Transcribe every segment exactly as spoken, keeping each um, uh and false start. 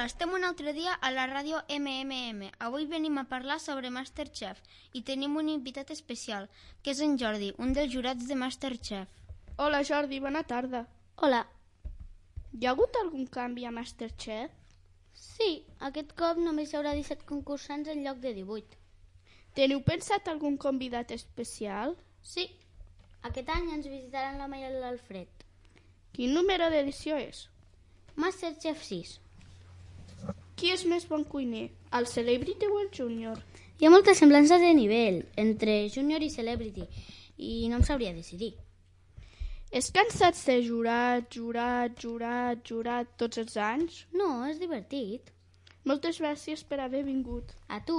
estem un altre dia a la ràdio eme eme eme. Avui venim a parlar sobre MasterChef i tenim un invitat especial, que és en Jordi, un dels jurats de MasterChef. Hola Jordi, bona tarda. Hola. Hi ha hagut algun canvi a MasterChef? Sí, aquest cop només hi haurà disset concursants en lloc de divuit. Teniu pensat algun convidat especial? Sí, aquest any ens visitaran la Maia i l'Alfred. Quin número d'edició és? MasterChef sis. Qui és més bon cuiner, el Celebrity o el Junior? Hi ha moltes semblances de nivell entre Junior i Celebrity i no em sabria decidir. És cansat ser jurat, jurat, jurat, jurat tots els anys? No, és divertit. Moltes gràcies per haver vingut. A tu?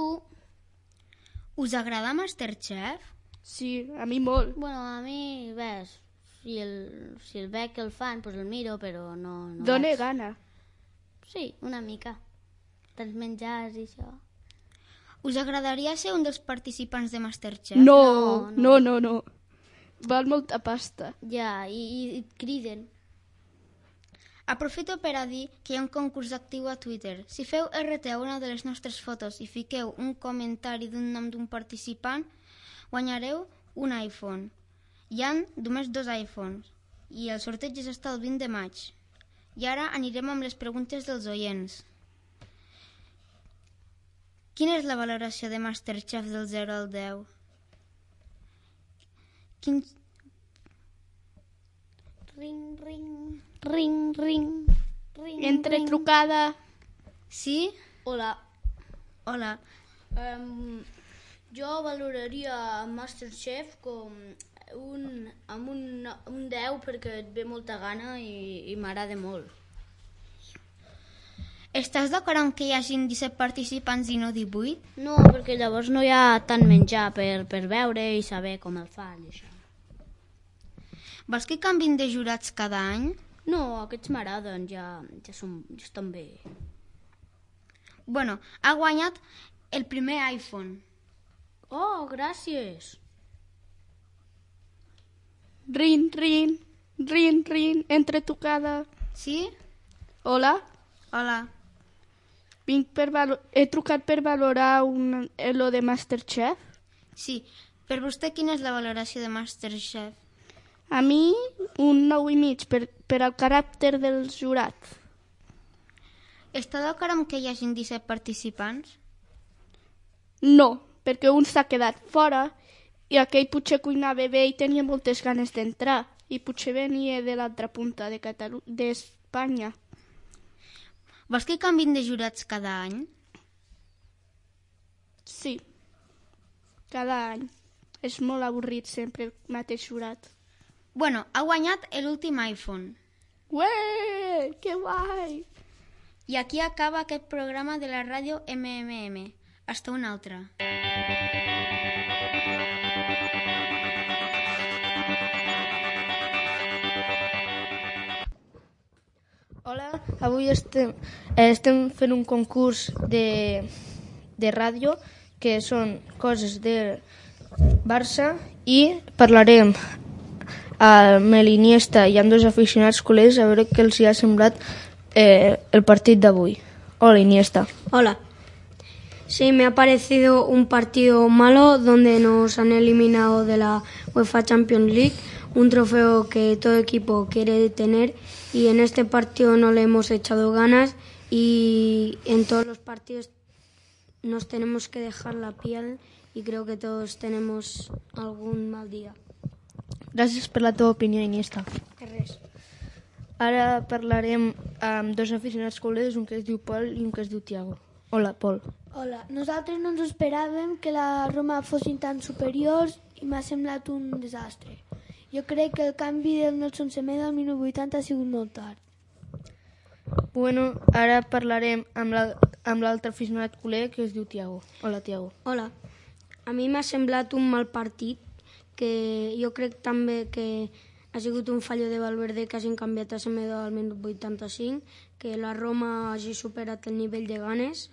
Us agrada MasterChef? Sí, a mi molt. Bueno, a mi, ves, si el, si el veig que el fan, doncs el miro, però no... no Dóna vaig. gana. Sí, una mica. Tants menjars i això. Us agradaria ser un dels participants de MasterChef? No, No, no, no, no. Val molta pasta. Ja, i, i, i et criden. Aprofito per a dir que hi ha un concurs actiu a Twitter. Si feu erre te a una de les nostres fotos i fiqueu un comentari d'un nom d'un participant, guanyareu un iPhone. Hi ha només dos iPhones i el sorteig és hasta el vint de maig. I ara anirem amb les preguntes dels oients. Quina és la valoració de MasterChef del zero al deu? Quin... Ring, ring, ring, ring, ring, Entre ring. trucada. Sí? Hola. Hola. Um, jo valoraria MasterChef com un, amb un, un deu perquè et ve molta gana i, i m'agrada molt. Estàs d'acord amb que hi hagin disset participants i no divuit? No, perquè llavors no hi ha tant menjar per, per veure i saber com el fan i això. Vols que canvin de jurats cada any? No, aquests m'agraden, ja, ja, són, ja estan bé. Bueno, ha guanyat el primer iPhone. Oh, gràcies. Rin, rin, rin, rin, entre trucada. Sí? Hola? Hola. Vinc per valo- He trucat per valorar un... lo de MasterChef. Sí. Per vostè, quina és la valoració de MasterChef? A mi, un nou i mig, per, per al caràcter dels jurats. Està d'acord amb que hi hagin disset participants? No, perquè un s'ha quedat fora i aquell potser cuinava bé i tenia moltes ganes d'entrar i potser venia de l'altra punta de Catalu- d'Espanya. Vols que canvin de jurats cada any? Sí, cada any. És molt avorrit sempre el mateix jurat. Bueno, ha guanyat l'últim iPhone. Ué, que guai! I aquí acaba aquest programa de la ràdio eme eme eme. Hasta un altre. Hola, avui estem, eh, estem fent un concurs de, de ràdio que són coses de Barça i parlarem amb l'Iniesta i amb dos aficionats culers a veure què els hi ha semblat eh, el partit d'avui. Hola, Iniesta. Hola. Sí, me ha parecido un partido malo donde nos han eliminado de la UEFA Champions League, un trofeo que todo equipo quiere tener, y en este partido no le hemos echado ganas y en todos los partidos nos tenemos que dejar la piel y creo que todos tenemos algún mal día. Gràcies per la teva opinió, Iniesta. Res. Ara parlarem amb dos aficionats culers, un que es diu Pol i un que es diu Tiago. Hola, Pol. Hola, nosaltres no ens esperàvem que la Roma fossin tan superiors i m'ha semblat un desastre. Jo crec que el canvi del Nelson Semedo al minut vuitanta ha sigut molt tard. Bueno, ara parlarem amb la- amb l'altre aficionat culer que es diu Tiago. Hola, Tiago. Hola. A mi m'ha semblat un mal partit, que jo crec també que ha sigut un fallo de Valverde que hagin canviat a Semedo al minut vuitanta-cinc, que la Roma hagi superat el nivell de ganes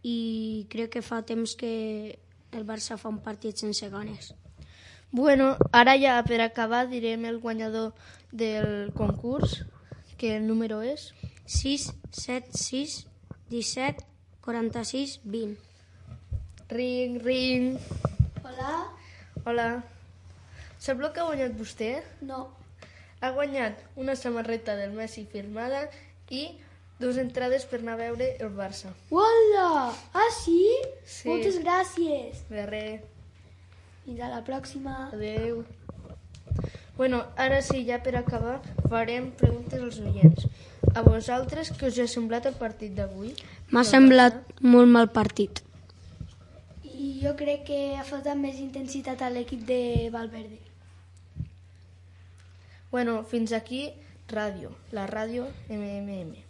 i crec que fa temps que el Barça fa un partit sense ganes. Bueno, ara ja per acabar direm el guanyador del concurs, que el número és... sis set sis disset, quaranta-sis, vint. Ring, ring. Hola? Hola. Sap el que ha guanyat vostè? No. Ha guanyat una samarreta del Messi firmada i dues entrades per anar a veure el Barça. Hola! Ah, sí? Sí. Moltes gràcies. De res. Fins a la pròxima. Adéu. Bueno, ara sí, ja per acabar, farem preguntes als oients. A vosaltres, què us ha semblat el partit d'avui? M'ha semblat molt mal partit. I jo crec que ha faltat més intensitat a l'equip de Valverde. Bueno, fins aquí, ràdio. La ràdio eme eme eme.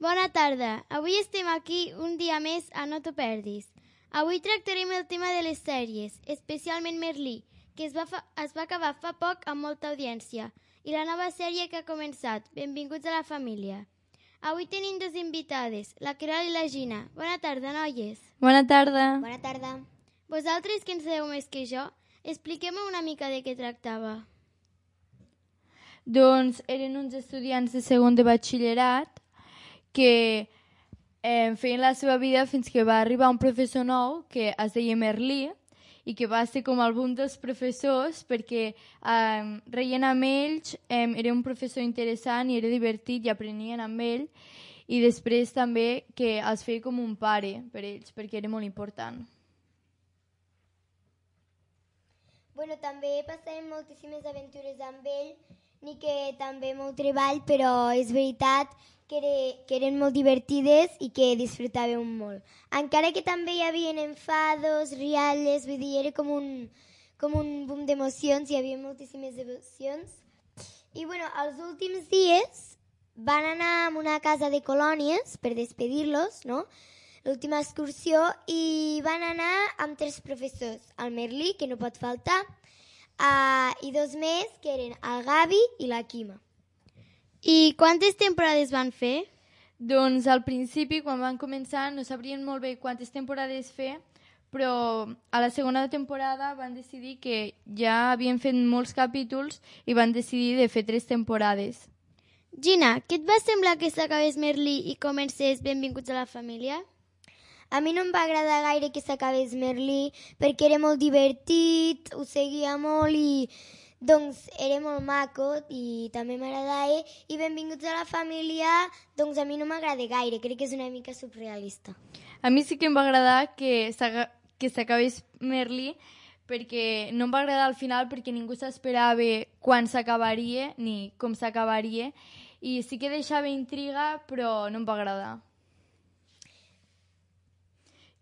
Bona tarda. Avui estem aquí un dia més a No t'ho perdis. Avui tractarem el tema de les sèries, especialment Merlí, que es va, fa, es va acabar fa poc amb molta audiència, i la nova sèrie que ha començat, Benvinguts a la família. Avui tenim dues invitades, la Queralt i la Gina. Bona tarda, noies. Bona tarda. Bona tarda. Vosaltres, que en sabeu més que jo, expliqueu-me una mica de què tractava. Doncs eren uns estudiants de segon de batxillerat que eh, feien la seva vida fins que va arribar un professor nou que es deia Merlí i que va ser com el boom dels professors perquè eh, reien amb ells, eh, era un professor interessant i era divertit i aprenien amb ell, i després també que els feia com un pare per ells perquè era molt important. Bueno, també passàvem moltíssimes aventures amb ell, ni que també molt treball, però és veritat que, era, que eren molt divertides i que disfrutàvem molt. Encara que també hi havia enfados, rialles, vull dir, era com un, com un boom d'emocions, hi havia moltíssimes emocions. I bueno, els últims dies van anar a una casa de colònies per despedir-los, no?, l'última excursió, i van anar amb tres professors, el Merlí, que no pot faltar, uh, i dos més, que eren el Gavi i la Quima. I quantes temporades van fer? Doncs al principi, quan van començar, no sabrien molt bé quantes temporades fer, però a la segona temporada van decidir que ja havien fet molts capítols i van decidir de fer tres temporades. Gina, què et va semblar que s'acabés Merlí i comencés Benvinguts a la família? A mi no em va agradar gaire que s'acabés Merlí perquè era molt divertit, ho seguia molt i doncs era molt maco i també m'agradava. I Benvinguts a la família, doncs a mi no m'agrada gaire, crec que és una mica surrealista. A mi sí que em va agradar que s'acabés Merlí perquè no em va agradar al final perquè ningú s'esperava quan s'acabaria ni com s'acabaria i sí que deixava intriga però no em va agradar.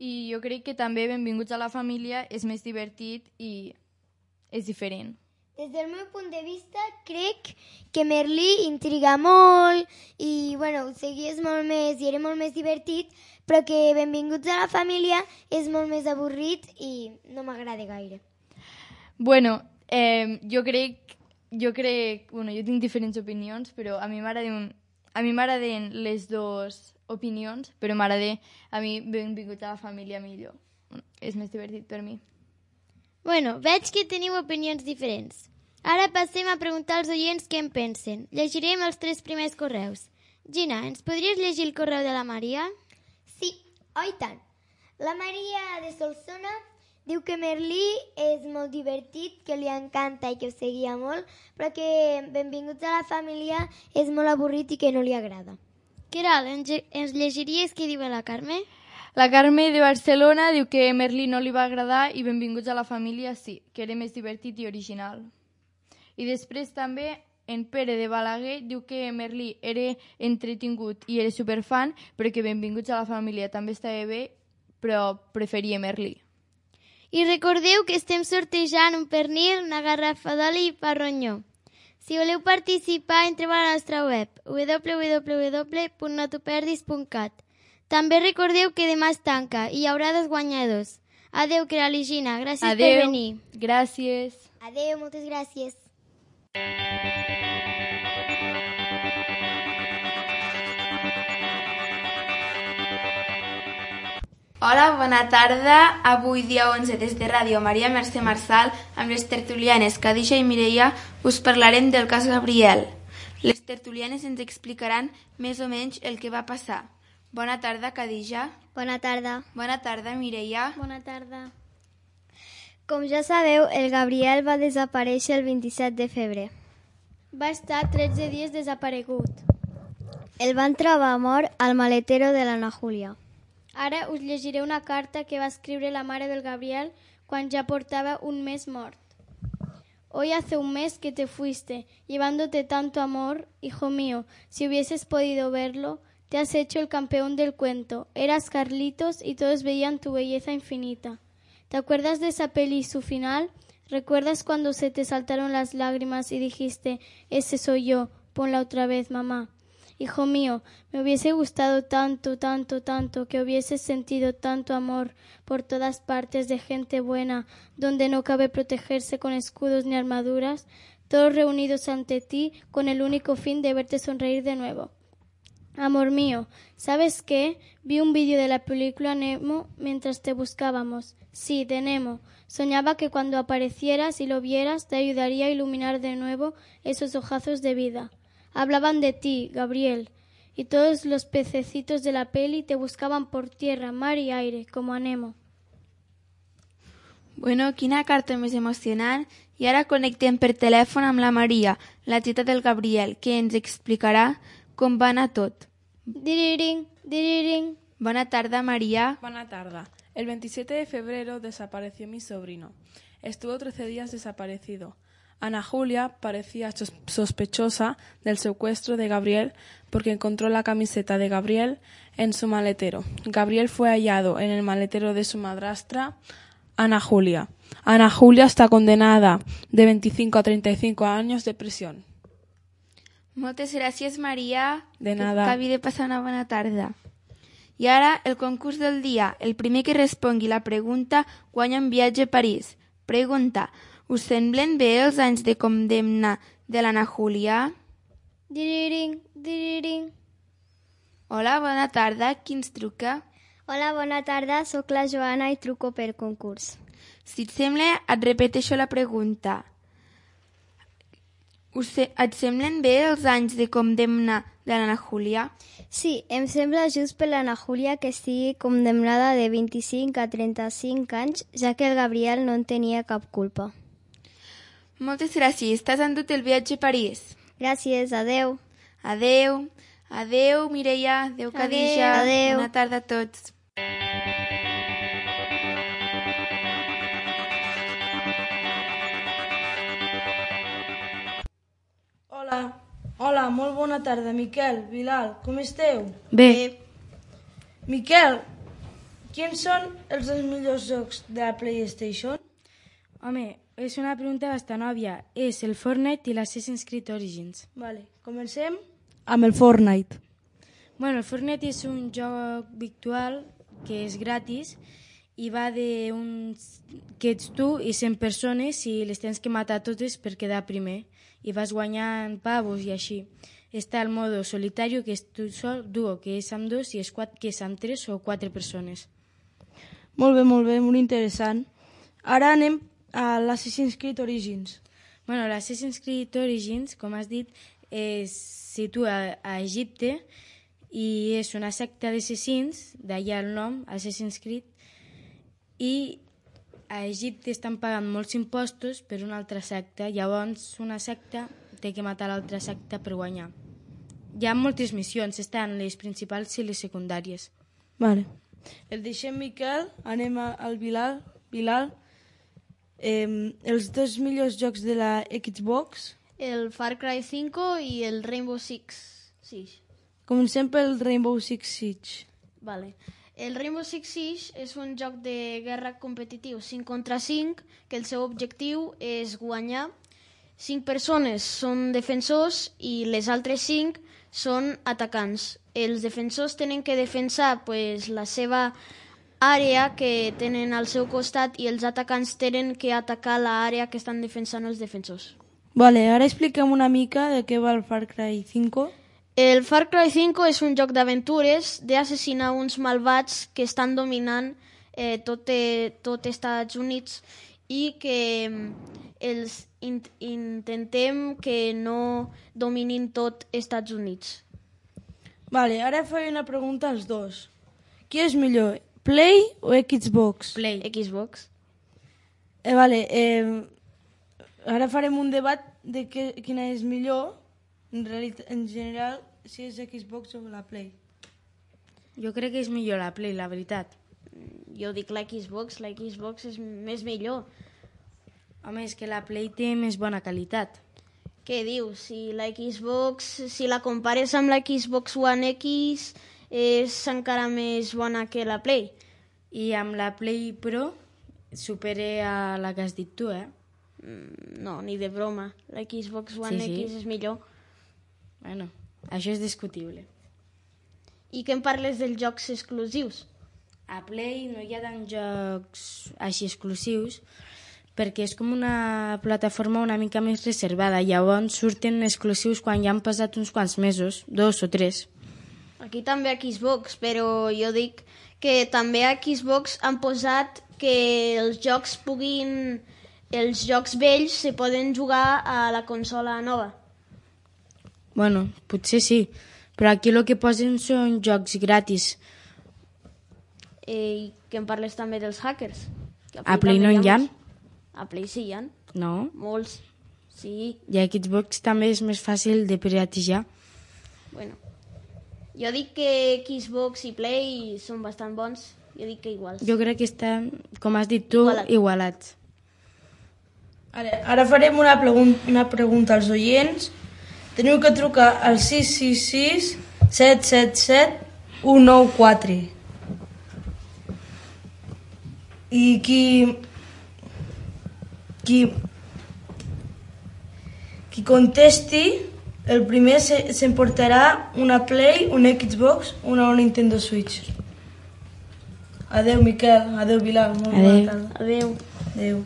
I jo crec que també Benvinguts a la família és més divertit i és diferent. Des del meu punt de vista, crec que Merlí intriga molt i, bueno, ho seguies molt més i era molt més divertit, però que Benvinguts a la família és molt més avorrit i no m'agrada gaire. Bueno, eh, jo crec, jo crec, bueno, jo tinc diferents opinions, però a mi m'agraden, a mi m'agraden les dues opinions, però m'agrada a mi Benvinguts a la família millor. És més divertit per mi. Bueno, veig que teniu opinions diferents. Ara passem a preguntar als oients què en pensen. Llegirem els tres primers correus. Gina, ens podries llegir el correu de la Maria? Sí, oi tant. La Maria de Solsona diu que Merlí és molt divertit, que li encanta i que ho seguia molt, però que Benvinguts a la família és molt avorrit i que no li agrada. Queralt, ens llegiries què diu la Carme? La Carme de Barcelona diu que Merlí no li va agradar i Benvinguts a la família sí, que era més divertit i original. I després també en Pere de Balaguer diu que Merlí era entretingut i era superfan, però que Benvinguts a la família també estava bé, però preferia Merlí. I recordeu que estem sortejant un pernil, una garrafa d'oli i pa ronyó. Si voleu participar, entreu a la nostra web w w w punt no t'ho perdis punt cat. També recordeu que demà es tanca i hi haurà dos guanyadors. Adeu, Queralt i Gina. Gràcies Adeu. per venir. Gràcies. Adeu, moltes gràcies. Hola, bona tarda. Avui, dia onze, des de Ràdio Maria Mercè Marçal, amb les tertulianes Khadija i Mireia us parlarem del cas Gabriel. Les tertulianes ens explicaran més o menys el que va passar. Bona tarda, Khadija. Bona tarda. Bona tarda, Mireia. Bona tarda. Com ja sabeu, el Gabriel va desaparèixer el vint-i-set de febrer. Va estar tretze dies desaparegut. El van trobar mort al maletero de l'Anna Júlia. Ara us llegiré una carta que va escriure la mare del Gabriel cuando ya portaba un mes mort. Hoy hace un mes que te fuiste, llevándote tanto amor, hijo mío. Si hubieses podido verlo, te has hecho el campeón del cuento. Eras Carlitos y todos veían tu belleza infinita. ¿Te acuerdas de esa peli y su final? ¿Recuerdas cuando se te saltaron las lágrimas y dijiste, ese soy yo, ponla otra vez, mamá? Hijo mío, me hubiese gustado tanto, tanto, tanto, que hubieses sentido tanto amor por todas partes de gente buena, donde no cabe protegerse con escudos ni armaduras, todos reunidos ante ti con el único fin de verte sonreír de nuevo. Amor mío, ¿sabes qué? Vi un vídeo de la película Nemo mientras te buscábamos. Sí, de Nemo. Soñaba que cuando aparecieras y lo vieras te ayudaría a iluminar de nuevo esos ojazos de vida. Hablaban de ti, Gabriel, y todos los pececitos de la peli te buscaban por tierra, mar y aire, como a Nemo. Bueno, quina carta més emocionant. I ara connectem per telèfon amb la Maria, la tieta del Gabriel, que ens explicarà com va anar tot. Diriring, diriring. Bona tarda, María. Buena tarde. El veintisiete de febrero desapareció mi sobrino. Estuvo trece días desaparecido. Ana Julia parecía sos- sospechosa del secuestro de Gabriel porque encontró la camiseta de Gabriel en su maletero. Gabriel fue hallado en el maletero de su madrastra, Ana Julia. Ana Julia está condenada de veinticinco a treinta y cinco años de prisión. Moltes gràcies, Maria. De nada. Que acabi de passar una bona tarda. I ara, el concurs del dia. El primer que respongui la pregunta guanya un viatge a París. Pregunta. Us semblen bé els anys de condemna de l'Anna Júlia? Diriring, diriring. Hola, bona tarda. Qui ens truca? Hola, bona tarda. Soc la Joana i truco per concurs. Si et sembla, et repeteixo la pregunta. Us se- et semblen bé els anys de condemna de l'Anna Júlia? Sí, em sembla just per l'Anna Júlia que estigui condemnada de vint-i-cinc a trenta-cinc anys, ja que el Gabriel no en tenia cap culpa. Moltes gràcies. T'has endut el viatge a París. Gràcies, adeu. Adeu. Adeu, Mireia. Adeu, Khadija. Adeu. Bona tarda a tots. Hola, hola, molt bona tarda, Miquel, Bilal, com esteu? Bé. Miquel, quins són els dos millors jocs de la PlayStation? Home, és una pregunta bastant òbvia. És el Fortnite i l'Assassin's Creed Origins. Vale, comencem? Amb el Fortnite. Bueno, el Fortnite és un joc virtual que és gratis i va de uns... que ets tu i cent persones i les tens que matar totes per quedar primer i vas guanyant pavos i així. Està el modo solitari, que és tu sol, duo, que és amb dos, i squad, que és amb tres o quatre persones. Molt bé, molt bé, molt interessant. Ara anem a l'Assassin's Creed Origins. Bueno, l'Assassin's Creed Origins, com has dit, es situa a Egipte i és una secta d'assassins, d'allà el nom, Assassin's Creed, i a Egipte estan pagant molts impostos per una altra secta, llavors una secta té que matar l'altra secta per guanyar. Hi ha moltes missions, estan les principals i les secundàries. Vale. El deixem, Miquel, anem a- al Bilal. Bilal, eh, els dos millors jocs de la Xbox. El Far Cry cinco y el Rainbow Six Siege. Comencem pel Rainbow Six Siege. Vale. El Rainbow Six Siege és un joc de guerra competitiu cinc contra cinc, que el seu objectiu és guanyar. cinc persones són defensors i les altres cinc són atacants. Els defensors tenen que defensar pues, la seva àrea que tenen al seu costat i els atacants tenen que atacar l'àrea que estan defensant els defensors. Vale, ara expliquem una mica de què va el Far Cry cinco. El Far Cry cinco és un joc d'aventures d'assassinar uns malvats que estan dominant eh, tot, eh, tot Estats Units i que els in intentem que no dominin tot Estats Units. Vale, ara faré una pregunta als dos. Qui és millor, Play o Xbox? Play. Xbox. Eh, vale, eh, ara farem un debat de que, quina és millor, en, realitat, en general, si és Xbox o la Play. Jo crec que és millor la Play, la veritat. Jo dic la Xbox, la Xbox és més millor. Home, és que la Play té més bona qualitat. Què dius? Si la Xbox, si la compares amb la Xbox One X, és encara més bona que la Play. I amb la Play Pro supere a la que has dit tu, eh? No, ni de broma. La Xbox One sí, sí. X és millor. Bueno, això és discutible. I què em parles dels jocs exclusius? A Play no hi ha tants jocs així exclusius perquè és com una plataforma una mica més reservada. Llavors surten exclusius quan ja han passat uns quants mesos, dos o tres. Aquí també a Xbox, però jo dic que també a Xbox han posat que els jocs puguin... Els jocs vells se poden jugar a la consola nova. Bueno, potser sí, però aquí el que posen són jocs gratis. I que em parles també dels hackers. A, a Play no hi ha? A Play sí hi ha. No? Molts, sí. I a Xbox també és més fàcil de piratejar. Bueno, jo dic que Xbox i Play són bastant bons. Jo dic que iguals. Jo crec que estan, com has dit tu, Igualat. igualats. Ara, ara farem una, pregun una pregunta als oients. Teniu que trucar al sis sis sis, set set set, u nou quatre. I qui... Qui... Qui contesti, el primer s'emportarà una Play, una Xbox, una Nintendo Switch. Adeu, Miquel. Adeu, Bilal. Molt Adeu. bona tarda. Adeu. Adeu.